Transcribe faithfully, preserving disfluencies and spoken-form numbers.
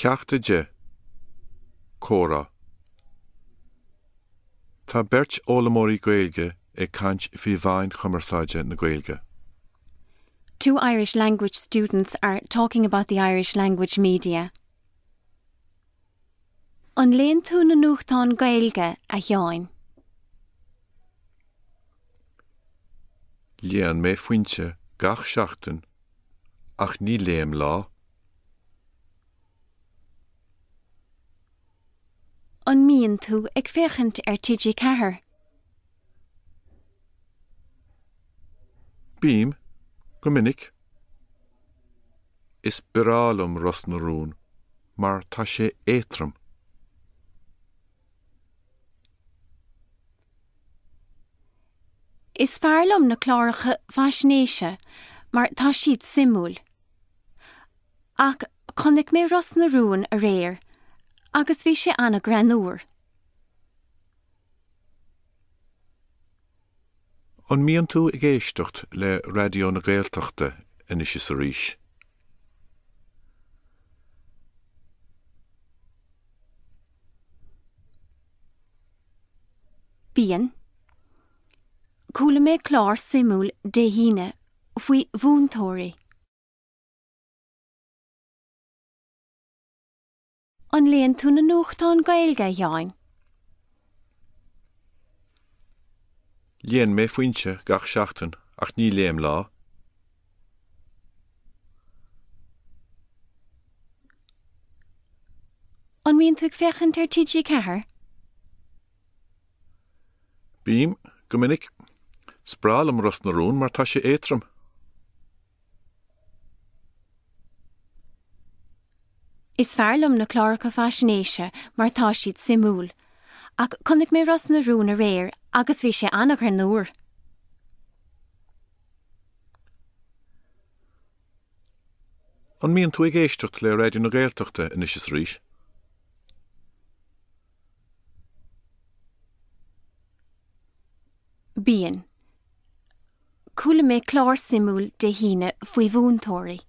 Ceacht a deich. Comhrá. Tá beirt fhoghlaimeoirí Gaeilge ag caint faoi mheáin chumarsáide na Gaeilge. Two Irish language students are talking about the Irish language media. An léann tú na nuachtáin Gaeilge a Sheáin? Léann mé Foinse gach seachtain, ach ní léim Lá. An mbíonn tú ag féachaint ar TG Ceathair? Bím, go minic. Is breá liom Ros na Rún, mar tá sé éadrom. Is fearr liom na cláracha faisnéise mar tá siad suimiúil. Ach chonaic mé Ros na Rún aréir, agus bhí sé an-ghreannmhar. An mbíonn tú ag éisteacht le Raidió na Gaeltachta anois is arís? Bíonn. Chuala mé clár suimiúil Dé hAoine faoi mhúinteoirí. An léann tú na nuachtáin Gaeilge, a Sheáin? Léann mé Foinse gach seachtain, ach ní léim Lá. An mbíonn tú ag féachaint ar TG Ceathair? Bím, go minic. Is breá liom Ros na Rún mar tá sé éadrom. Is fearr liom na cláracha faisnéise mar tá siad suimiúil, ach chonaic mé Ros na Rún aréir agus bhí sé an-ghreannmhar. An mbíonn tú ag éisteacht le Raidió na Gaeltachta anois is arís? Bíonn. Chuala mé clár suimiúil Dé hAoine faoi mhúinteoirí.